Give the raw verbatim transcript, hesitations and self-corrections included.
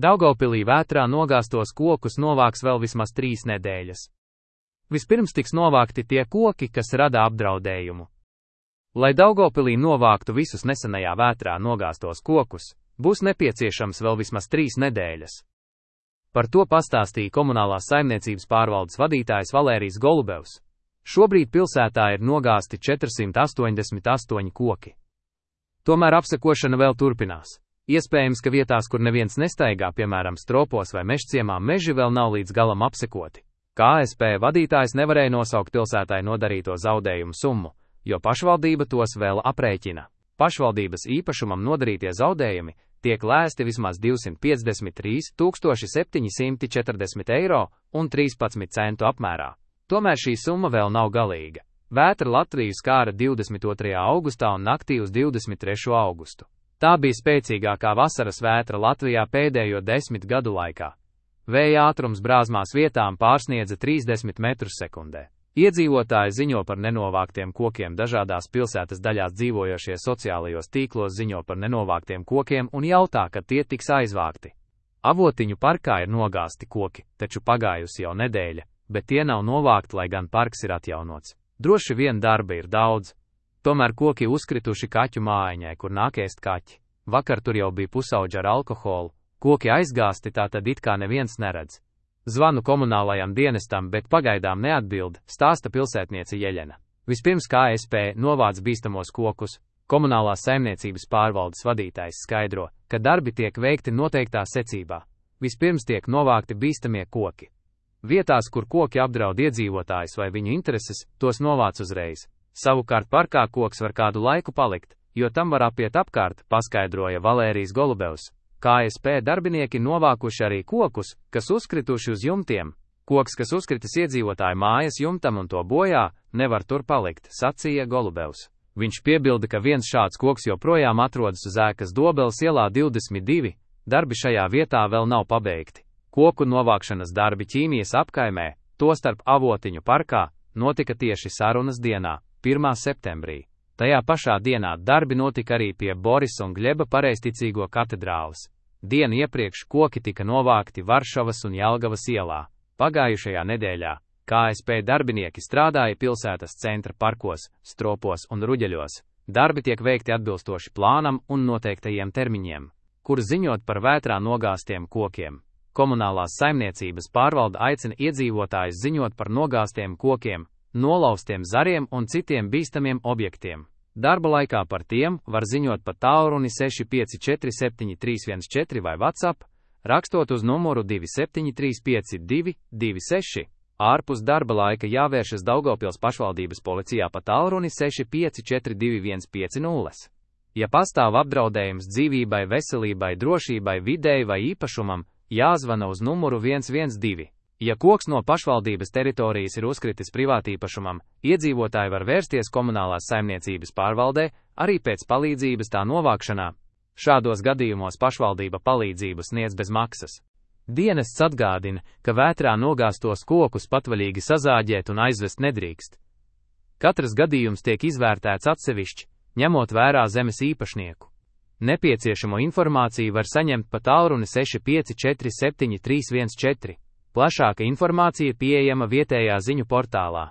Daugavpilī vētrā nogāztos kokus novāks vēl vismaz trīs nedēļas. Vispirms tiks novākti tie koki, kas rada apdraudējumu. Lai Daugavpilī novāktu visus nesenajā vētrā nogāztos kokus, būs nepieciešams vēl vismaz trīs nedēļas. Par to pastāstīja komunālās saimniecības pārvaldes vadītājs Valērijs Golubevs. Šobrīd pilsētā ir nogāzti četrsimt astoņdesmit astoņi koki. Tomēr apsekošana vēl turpinās. Iespējams, ka vietās, kur neviens nestaigā, piemēram, stropos vai mežciemā, meži vēl nav līdz galam apsekoti. K S P vadītājs nevarēja nosaukt pilsētai nodarīto zaudējumu summu, jo pašvaldība tos vēl aprēķina. Pašvaldības īpašumam nodarītie zaudējumi tiek lēsti vismaz divsimt piecdesmit trīs tūkstoši septiņi simti četrdesmit eiro un trīspadsmit centu apmērā. Tomēr šī summa vēl nav galīga. Vētra Latviju skāra divdesmit otrajā augustā un naktī uz divdesmit trešo augustu. Tā bija spēcīgākā vasaras vētra Latvijā pēdējo desmit gadu laikā. Vēja ātrums brāzmās vietām pārsniedza trīsdesmit metrus sekundē. Iedzīvotāji ziņo par nenovāktiem kokiem, dažādās pilsētas daļās dzīvojošie sociālajos tīklos ziņo par nenovāktiem kokiem un jautā, kad tie tiks aizvākti. Avotiņu parkā ir nogāzti koki, taču pagājusi jau nedēļa, bet tie nav novākti, lai gan parks ir atjaunots. Droši vien darba ir daudz. Tomēr koki uzkrituši kaķu mājiņai, kur nāk ēst kaķi. Vakar tur jau bija pusauģi ar alkoholu. Koki aizgāsti, tā tad it kā neviens neredz. Zvanu komunālajam dienestam, bet pagaidām neatbild, stāsta pilsētniece Jeļena. Vispirms K S P novāc bīstamos kokus. Komunālās saimniecības pārvaldes vadītājs skaidro, ka darbi tiek veikti noteiktā secībā. Vispirms tiek novākti bīstamie koki. Vietās, kur koki apdraud iedzīvotājus vai viņu intereses, tos novāc uzreiz. Savukārt parkā koks var kādu laiku palikt, jo tam var apiet apkārt, paskaidroja Valērijs Golubevs. K S P darbinieki novākuši arī kokus, kas uzkrituši uz jumtiem. Koks, kas uzkritis iedzīvotāju mājas jumtam un to bojā, nevar tur palikt, sacīja Golubevs. Viņš piebilda, ka viens šāds koks joprojām atrodas uz ēkas Dobeles ielā divdesmit divi, darbi šajā vietā vēl nav pabeigti. Koku novākšanas darbi Ķīmijas apkaimē, tostarp Avotiņu parkā, notika tieši sarunas dienā, pirmā septembrī. Tajā pašā dienā darbi notika arī pie Borisa un Gļeba pareizticīgo katedrāles. Dienu iepriekš koki tika novākti Varšavas un Jelgavas ielā. Pagājušajā nedēļā K S P darbinieki strādāja pilsētas centra parkos, stropos un ruģeļos. Darbi tiek veikti atbilstoši plānam un noteiktajiem termiņiem, kur ziņot par vētrā nogāztiem kokiem. Komunālās saimniecības pārvalde aicina iedzīvotājus ziņot par nogāztiem kokiem, nolauztiem zariem un citiem bīstamiem objektiem. Darba laikā par tiem var ziņot pa tālruni seši pieci četri septiņi trīs viens četri vai WhatsApp, rakstot uz numuru divi septiņi trīs pieci divi divi seši. Ārpus darba laika jāvēršas Daugavpils pašvaldības policijā pa tālruni seši pieci četri divi viens pieci nulle. Ja pastāv apdraudējums dzīvībai, veselībai, drošībai, videi vai īpašumam, jāzvana uz numuru viens viens divi. Ja koks no pašvaldības teritorijas ir uzkritis privātīpašumam, iedzīvotāji var vērsties komunālās saimniecības pārvaldē arī pēc palīdzības tā novākšanā. Šādos gadījumos pašvaldība palīdzību sniedz bez maksas. Dienests atgādina, ka vētrā nogāztos kokus patvaļīgi sazāģēt un aizvest nedrīkst. Katrs gadījums tiek izvērtēts atsevišķi, ņemot vērā zemes īpašnieku. Nepieciešamo informāciju var saņemt pa tālruni seši pieci četri septiņi trīs viens četri. Plašāka informācija pieejama vietējā ziņu portālā.